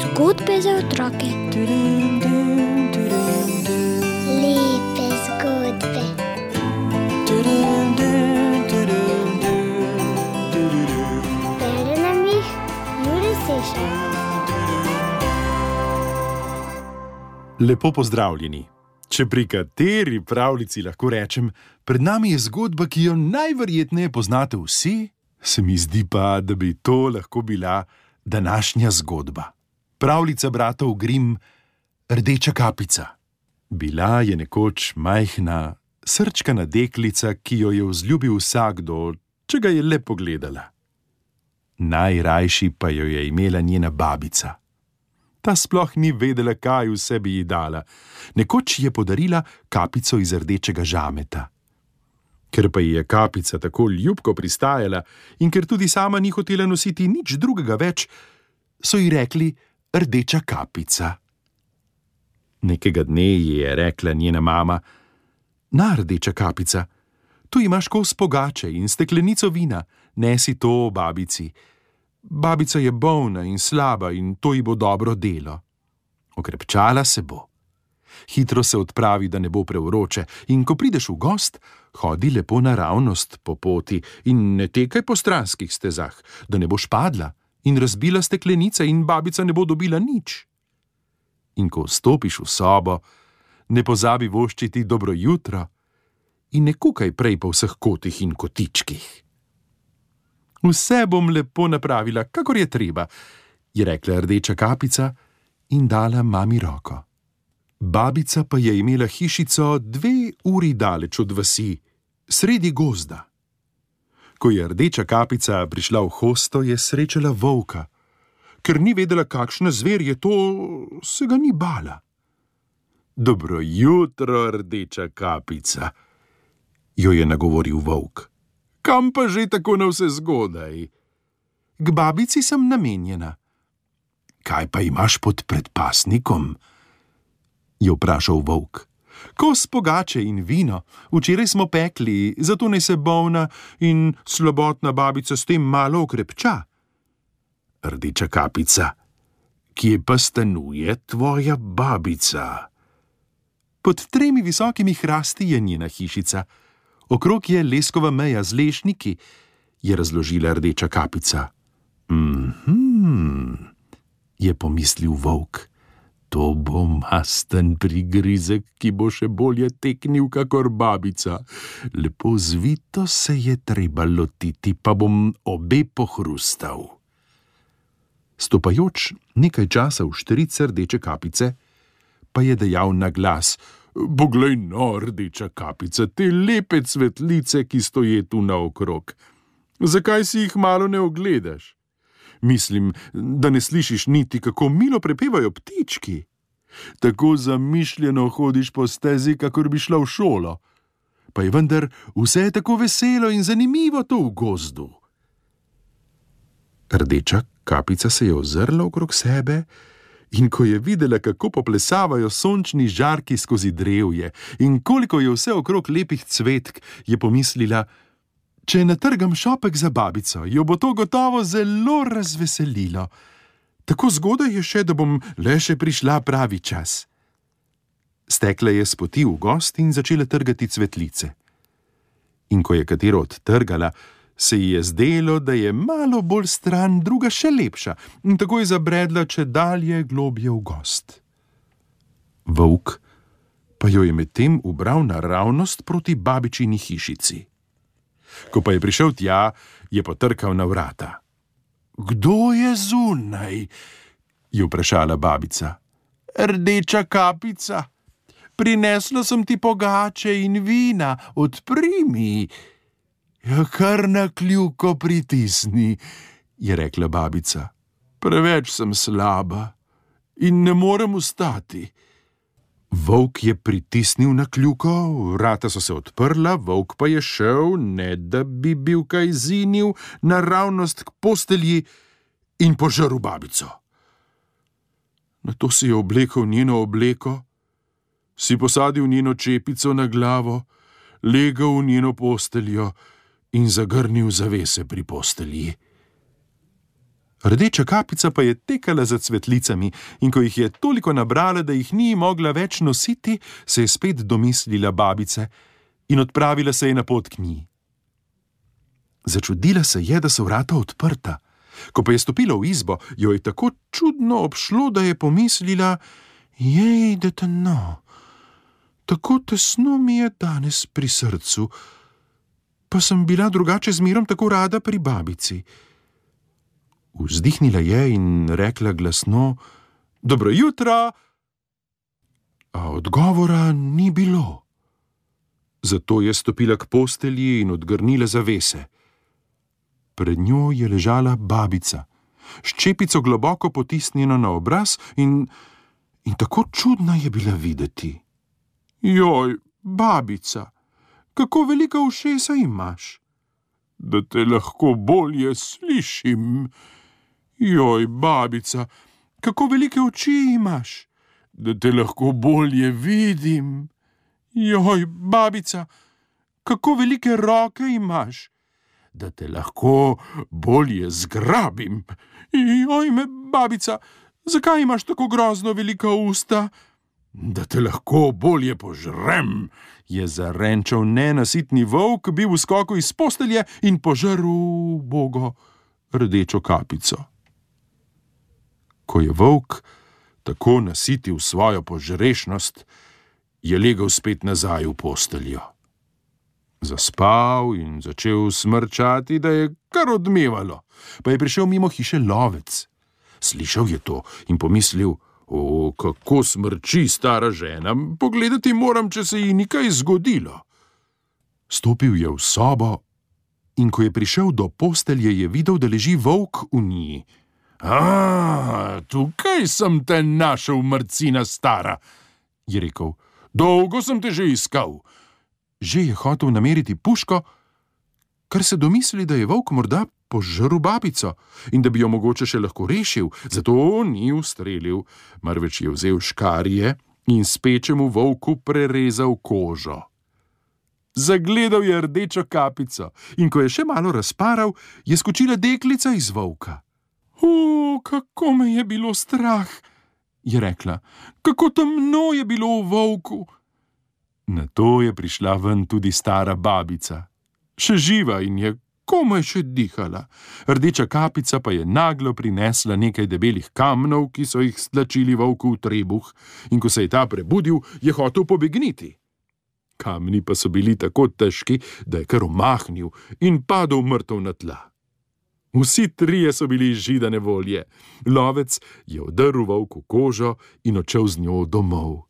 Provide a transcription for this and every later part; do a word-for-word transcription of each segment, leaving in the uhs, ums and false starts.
Zgodbe za otroke. Lepe zgodbe. Bere nam jih Jure Sešar. Lepo pozdravljeni. Če pri kateri pravljici lahko rečem, pred nami je zgodba, ki jo najverjetneje poznate vsi, se mi zdi pa, da bi to lahko bila današnja zgodba. Pravljica bratov Grimm, Rdeča kapica. Bila je nekoč majhna, srčkana deklica, ki jo je vzljubil vsakdo, če ga je le pogledala. Najrajši pa jo je imela njena babica. Ta sploh ni vedela, kaj vse bi ji dala. Nekoč je podarila kapico iz rdečega žameta. Ker pa ji je kapica tako ljubko pristajala in ker tudi sama ni hotela nositi nič drugega več, so ji rekli Rdeča kapica. Nekega dne ji je rekla njena mama: Na, Rdeča kapica, tu imaš kos pogače in steklenico vina, nesi to babici. Babica je bolna in slaba in to ji bo dobro delo. Okrepčala se bo. Hitro se odpravi, da ne bo prevroče, in ko prideš v gost, hodi lepo naravnost po poti in ne tekaj po stranskih stezah, da ne boš padla in razbila steklenice in babica ne bo dobila nič. In ko vstopiš v sobo, ne pozabi voščiti dobro jutro in ne kukaj prej po vseh kotih in kotičkih. Vse bom lepo napravila, kakor je treba, je rekla Rdeča kapica in dala mami roko. Babica pa je imela hišico dve uri daleč od vasi, sredi gozda. Ko je Rdeča kapica prišla v hosto, je srečala volka. Ker ni vedela, kakšna zver je to, se ga ni bala. Dobro jutro, Rdeča kapica, jo je nagovoril volk. Kam pa že tako navsezgodaj? K babici sem namenjena. Kaj pa imaš pod predpasnikom? Je vprašal volk. Kos pogače in vino. Včeraj smo pekli, zato naj se bolna in slabotna babica s tem malo okrepča. Rdeča kapica, kje pa stanuje tvoja babica? Pod tremi visokimi hrasti je njena hišica. Okrog je leskova meja z lešniki, je razložila Rdeča kapica. Mhm, je pomislil volk. To bo masten prigrizek, ki bo še bolje teknil kakor babica. Lepo zvito se je treba lotiti, pa bom obe pohrustal. Stopajoč nekaj časa v štirice Rdeče kapice, pa je dejal na glas: Poglej no, Rdeča kapica, te lepe cvetlice, ki stoje tu naokrog. Zakaj si jih malo ne ogledaš? Mislim, da ne slišiš niti, kako milo prepevajo ptički. Tako zamišljeno hodiš po stezi, kakor bi šla v šolo. Pa je vendar vse tako veselo in zanimivo to v gozdu. Rdeča kapica se je ozrla okrog sebe in ko je videla, kako poplesavajo sončni žarki skozi drevje in koliko je vse okrog lepih cvetk, je pomislila: Če natrgam šopek za babico, jo bo to gotovo zelo razveselilo. Tako zgodaj je še, da bom le še prišla pravi čas. Stekla je s poti v gost in začela trgati cvetlice. In ko je katero odtrgala, se ji je zdelo, da je malo bolj stran druga še lepša, in tako je zabredla čedalje globje v gost. Volk pa jo je medtem ubral naravnost proti babičini hišici. Ko pa je prišel tja, je potrkal na vrata. Kdo je zunaj? Je vprašala babica. Rdeča kapica, prinesla sem ti pogače in vina, odpri mi. Ja, kar na kljuko pritisni, je rekla babica. Preveč sem slaba in ne morem vstati. Volk je pritisnil na kljuko, vrata so se odprla, volk pa je šel, ne da bi bil kaj zinil, naravnost k postelji in požrl babico. Nato si je oblekel njeno obleko, si posadil njeno čepico na glavo, legel v njeno posteljo in zagrnil zavese pri postelji. Rdeča kapica pa je tekala za cvetlicami in ko jih je toliko nabrala, da jih ni mogla več nositi, se je spet domislila babice in odpravila se je na pot k njej. Začudila se je, da so vrata odprta. Ko pa je stopila v izbo, jo je tako čudno obšlo, da je pomislila: jej, da temno, tako tesno mi je danes pri srcu, pa sem bila drugače zmerom tako rada pri babici. Vzdihnila je in rekla glasno: dobro jutro, a odgovora ni bilo. Zato je stopila k postelji in odgrnila zavese. Pred njo je ležala babica, s čepico globoko potisnjeno na obraz in, in tako čudna je bila videti. Joj, babica, kako velika ušesa imaš, da te lahko bolje slišim. Joj, babica, kako velike oči imaš, da te lahko bolje vidim. Joj, babica, kako velike roke imaš, da te lahko bolje zgrabim. Joj, me, babica, zakaj imaš tako grozno velika usta? Da te lahko bolje požrem, je zarenčal nenasitni volk, bil v skoku iz postelje in požrl ubogo rdečo kapico. Ko je volk tako nasitil svojo požrešnost, je legel spet nazaj v posteljo. Zaspal in začel smrčati, da je kar odmevalo, pa je prišel mimo hiše lovec. Slišal je to in pomislil: o, kako smrči stara žena, pogledati moram, če se ji ni kaj zgodilo. Stopil je v sobo in ko je prišel do postelje, je videl, da leži volk v njej. A, tukaj sem te našel, mrcina stara, je rekel. Dolgo sem te že iskal. Že je hotel nameriti puško, kar se domisli, da je volk morda požrl babico in da bi jo mogoče še lahko rešil, zato ni ustrelil, marveč je vzel škarje in spečemu volku prerezal kožo. Zagledal je rdečo kapico in ko je še malo razparal, je skočila deklica iz volka. O, kako me je bilo strah, je rekla, kako temno je bilo v volku. Nato je prišla ven tudi stara babica, še živa in je komaj še dihala. Rdeča kapica pa je naglo prinesla nekaj debelih kamnov, ki so jih stlačili volku v trebuh, in ko se je ta prebudil, je hotel pobegniti. Kamni pa so bili tako težki, da je kar omahnil in padel mrtev na tla. Vsi trije so bili židane volje. Lovec je odrl volku kožo in odšel z njo domov.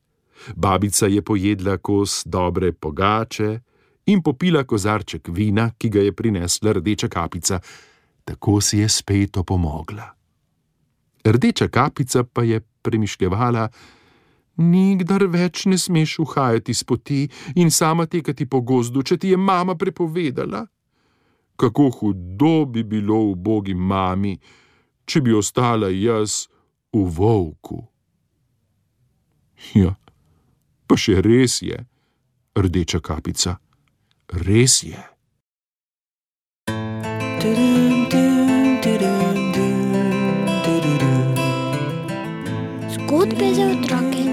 Babica je pojedla kos dobre pogače in popila kozarček vina, ki ga je prinesla rdeča kapica. Tako si je spet opomogla. Rdeča kapica pa je premišljevala: nikdar več ne smeš uhajati s poti in sama tekati po gozdu, če ti je mama prepovedala. Kako hudo bi bilo ubogi mami, če bi ostala jaz v volku. Ja, pa še res je, rdeča kapica, res je. Zgodbe za otroke.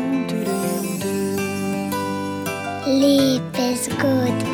Lepe zgodbe.